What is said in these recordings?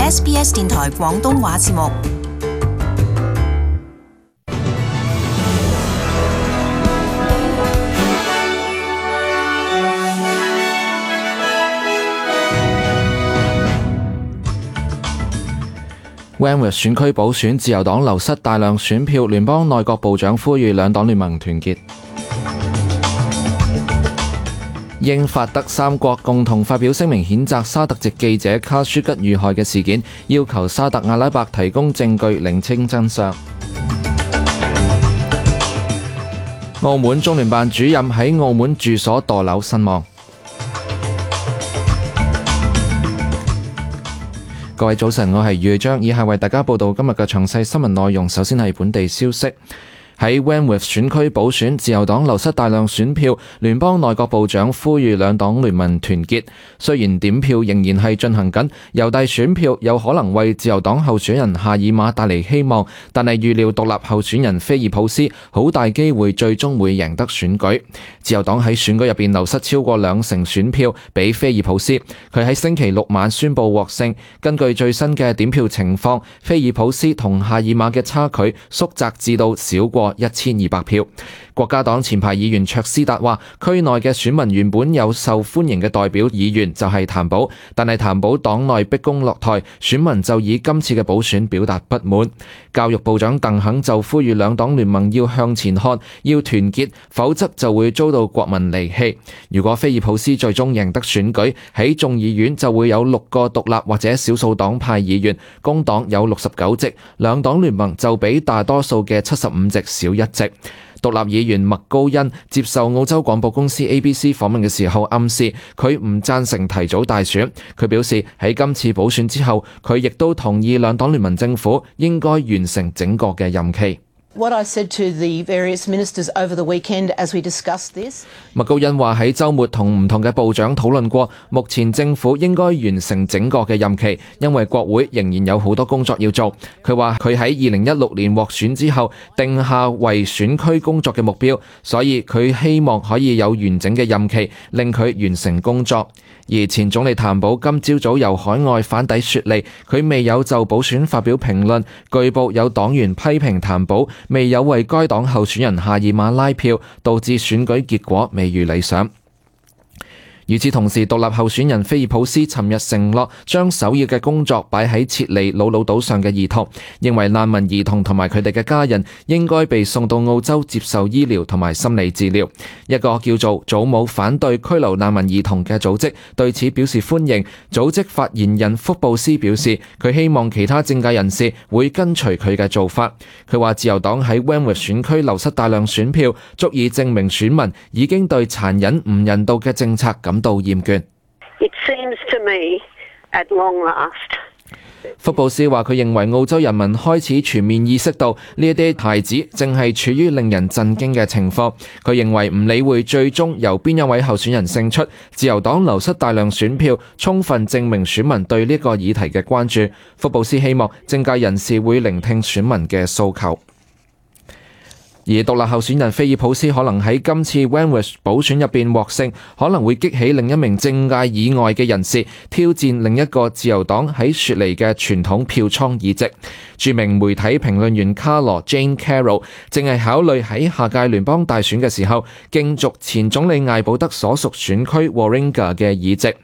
SBS 電台廣東話節目。Wanworth 選區補選，自由黨流失大量選票，聯邦內閣部長呼籲兩黨聯盟團結。英法德三國共同發表聲明譴責沙特籍記者卡舒吉遇害嘅事件，要求沙特阿拉伯提供證據釐清真相。澳門中聯辦主任喺澳門住所墮樓身亡。各位早晨，我係余章，以下為大家報道今日嘅詳細新聞內容。首先係本地消息。喺 Wanworth 選區補選，自由黨流失大量選票，聯邦內閣部長呼籲兩黨聯盟團結。雖然點票仍然係進行緊，郵遞選票有可能為自由黨候選人夏爾馬帶嚟希望，但係預料獨立候選人菲爾普斯好大機會最終會贏得選舉。自由黨喺選舉入邊流失超過20%選票俾菲爾普斯，佢喺星期六晚宣布獲勝。根據最新嘅點票情況，菲爾普斯同夏爾馬嘅差距縮窄至到少過1200票。國家黨前排議員卓斯達話，區內嘅選民原本有受歡迎嘅代表議員就係譚寶，但係譚寶黨內逼宮落台，選民就以今次嘅補選表達不滿。教育部長鄧肯就呼籲兩黨聯盟要向前看，要團結，否則就會遭到國民離棄。如果菲爾普斯最終贏得選舉，喺眾議院就會有6個獨立或者少數黨派議員，工黨有69席，兩黨聯盟就比大多數嘅75席少1席。獨立議員麥高恩接受澳洲廣播公司 ABC 訪問嘅時候暗示，佢唔贊成提早大選。佢表示喺今次補選之後，佢亦都同意兩黨聯盟政府應該完成整個嘅任期。What I said to the various ministers over the weekend as we discussed this， 麥高恩話喺週末同唔同嘅部長討論過，目前政府應該完成整個嘅任期，因為國會仍然有好多工作要做。佢話佢喺2016年獲選之後定下為選區工作嘅目標，所以佢希望可以有完整嘅任期，令佢完成工作。而前總理譚寶今朝早由海外返抵雪梨，佢未有就補選發表評論。據報有黨員批評譚寶未有為該黨候選人夏爾馬拉票，導致選舉結果未如理想。與此同時，獨立候選人菲爾普斯尋日承諾將首要嘅工作擺喺撤離魯魯島上嘅兒童，認為難民兒童同埋佢哋嘅家人應該被送到澳洲接受醫療同埋心理治療。一個叫做祖母反對拘留難民兒童嘅組織對此表示歡迎。組織發言人福布斯表示，佢希望其他政界人士會跟隨佢嘅做法。佢話自由黨喺 Wanworth 選區流失大量選票，足以證明選民已經對殘忍唔人道嘅政策感到厭倦。It seems to me at long last。福布斯話：佢認為澳洲人民開始全面意識到呢一啲孩子正係處於令人震驚嘅情況。佢認為唔理會最終由邊一位候選人勝出，自由黨流失大量選票，充分證明選民對呢個議題嘅關注。福布斯希望政界人士會聆聽選民嘅訴求。而獨立候選人菲爾普斯可能喺今次 Wanworth 補選入邊獲勝，可能會激起另一名政界以外嘅人士挑戰另一個自由黨喺雪梨嘅傳統票倉議席。著名媒體評論員卡羅 Jane Carroll 正係考慮喺下屆聯邦大選嘅時候競逐前總理艾保德所屬選區 Warringah 嘅議席。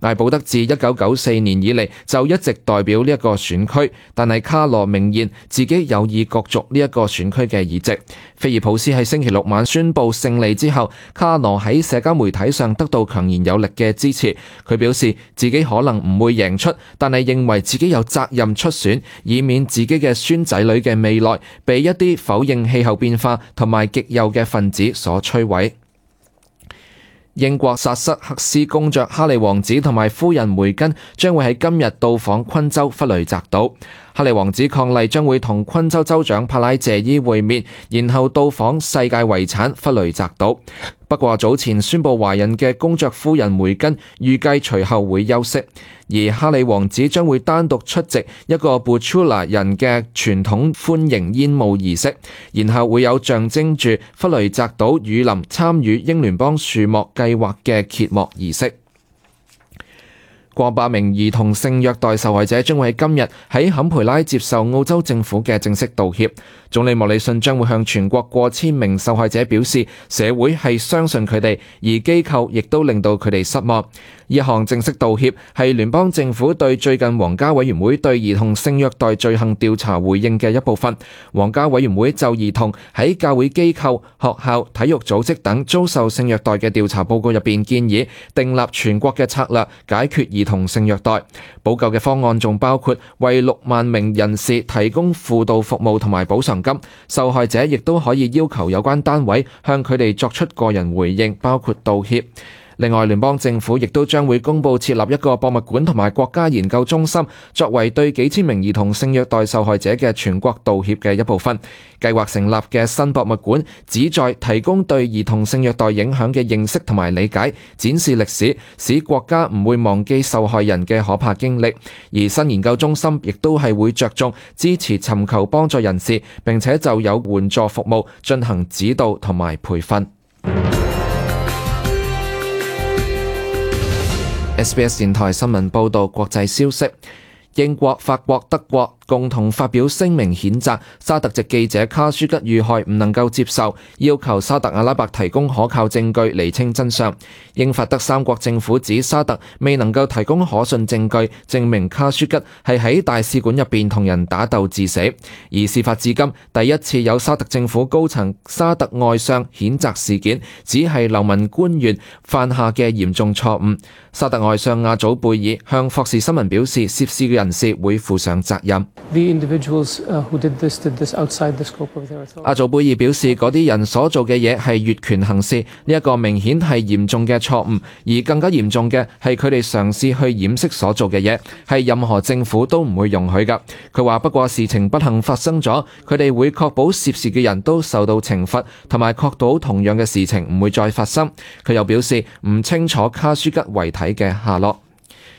艾保德自1994年以嚟就一直代表呢一個選區，但係卡羅明言自己有意角逐呢一個選區嘅議席。菲爾普斯喺星期六晚宣布勝利之後，卡羅喺社交媒體上得到強而有力嘅支持。佢表示自己可能唔會贏出，但係認為自己有責任出選，以免自己嘅孫仔女嘅未來被一啲否認氣候變化同埋極右嘅分子所摧毀。英國薩瑟克斯公爵哈利王子同埋夫人梅根將會喺今日到訪昆州弗雷澤島。哈利王子伉儷將會同昆州州長帕拉謝伊會面，然後到訪世界遺產弗雷澤島。不過早前宣布懷孕嘅公爵夫人梅根預計隨後會休息，而哈利王子將會單獨出席一個 Butula 人嘅傳統歡迎煙霧儀式，然後會有象徵住弗雷澤島雨林參與英聯邦樹木計劃嘅揭幕儀式。過百名兒童性虐待受害者將會喺今日喺坎培拉接受澳洲政府嘅正式道歉。總理莫里遜將會向全國過千名受害者表示，社會係相信佢哋，而機構亦都令到佢哋失望。呢項正式道歉係聯邦政府對最近皇家委員會對兒童性虐待罪行調查回應嘅一部分。皇家委員會就兒童喺教會機構、學校、體育組織等遭受性虐待嘅調查報告入邊建議訂立全國嘅策略，解決兒童性虐待。補救嘅方案仲包括為6萬名人士提供輔導服務同埋補償金，受害者亦都可以要求有關單位向佢哋作出個人回應，包括道歉。另外，聯邦政府亦都將會公佈設立一個博物館同埋國家研究中心，作為對幾千名兒童性虐待受害者嘅全國道歉嘅一部分。計劃成立嘅新博物館旨在提供對兒童性虐待影響嘅認識同埋理解，展示歷史，使國家唔會忘記受害人嘅可怕經歷。而新研究中心亦都係會着重支持尋求幫助人士，並且就有援助服務進行指導同埋培訓。SBS 電台新聞報導國際消息，英國、法國、德國共同發表聲明譴責沙特籍記者卡舒吉遇害唔能夠接受，要求沙特阿拉伯提供可靠證據釐清真相。英法德三國政府指沙特未能夠提供可信證據證明卡舒吉係喺大使館入邊同人打鬥致死。而事發至今第一次有沙特政府高層沙特外相譴責事件，只係流氓官員犯下嘅嚴重錯誤。沙特外相阿祖貝爾向霍士新聞表示，涉事嘅人士會負上責任。阿祖貝爾表示，嗰啲人所做嘅嘢係越權行事，呢一個明顯係嚴重嘅錯誤，而更加嚴重嘅係佢哋嘗試去掩飾所做嘅嘢，係任何政府都唔會容許㗎。佢話不過事情不幸發生咗，佢哋會確保涉事嘅人都受到懲罰，同埋確保同樣嘅事情唔會再發生。佢又表示唔清楚卡舒吉遺體嘅下落。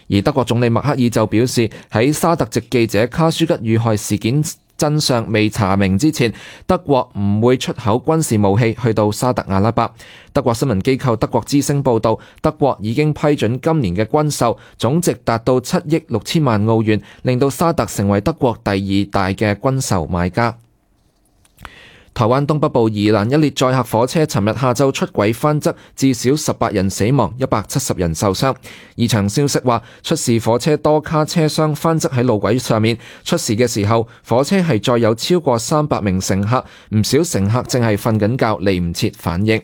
而德國總理默克爾就表示，喺沙特籍記者卡舒吉遇害事件真相未查明之前，德國唔會出口軍事武器去到沙特阿拉伯。德國新聞機構德國之聲報道，德國已經批准今年嘅軍售總值達到7億6千萬澳元，令到沙特成為德國第2大嘅軍售買家。台灣東北部宜蘭一列載客火車尋日下晝出軌翻側，至少18人死亡，170人受傷。現場消息話，出事火車多卡車廂翻側喺路軌上面，出事嘅時候火車係載有超過300名乘客，唔少乘客正係瞓緊覺，嚟唔切反應。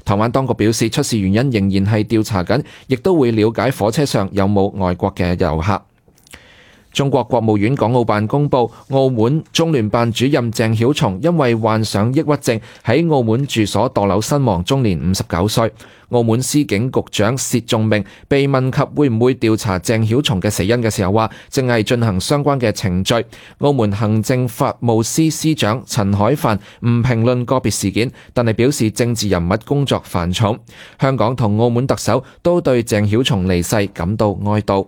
台灣當局表示，出事原因仍然係調查緊，亦都會了解火車上有冇外國嘅遊客。中國國務院港澳辦公布，澳門中聯辦主任鄭曉松因為患上抑鬱症喺澳門住所墮樓身亡，終年59歲。澳門司警局長薛仲明被問及會唔會調查鄭曉松嘅死因嘅時候，話正係進行相關嘅程序。澳門行政法務司司長陳海帆唔評論個別事件，但係表示政治人物工作繁重。香港同澳門特首都對鄭曉松離世感到哀悼。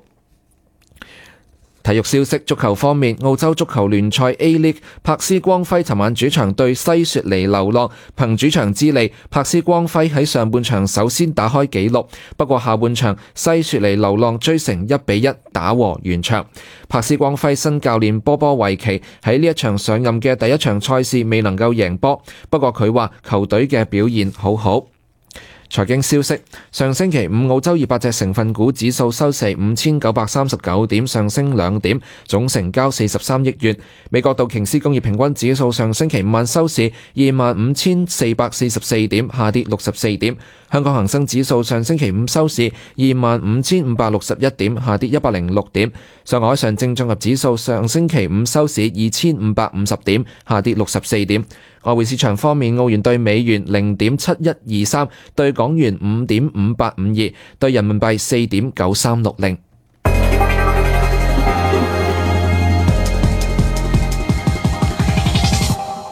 體育消息，足球方面，澳洲足球聯賽 A-League， 柏斯光輝尋晚主場對西雪梨流浪，憑主場之利，柏斯光輝喺上半場首先打開紀錄，不過下半場西雪梨流浪追成1-1打和完場。柏斯光輝新教練波波維奇喺呢一場上任嘅第一場賽事未能夠贏波，不過佢話球隊嘅表現好好。財經消息，上星期五澳洲200隻成分股指數收市5939點，上升2點，總成交43億元。美國道瓊斯工業平均指數上星期五晚收市25,444點，下跌64點。香港恒生指數上星期五收市25,561點，下跌106點。上海上證綜合指數上星期五收市2,550點，下跌64點。外匯市場方面，澳元對美元0.7123，對港元5.5852，對人民幣4.9360。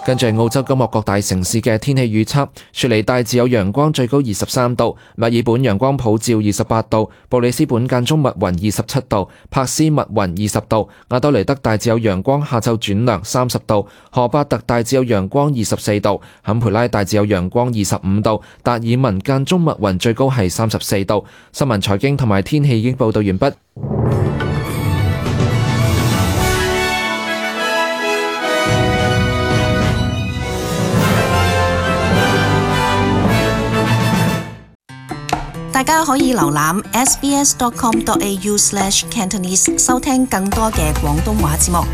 跟住係澳洲今日各大城市嘅天氣預測：雪梨大致有陽光，最高23度；墨爾本陽光普照28度；布里斯本間中密雲27度；珀斯密雲20度；亞德雷德大致有陽光，下晝轉涼30度；荷巴特大致有陽光24度；坎培拉大致有陽光25度；達爾文間中密雲，最高係34度。新聞財經同埋天氣已經報道完畢。大家可以瀏覽 sbs.com.au/cantonese 收聽更多嘅廣東話節目。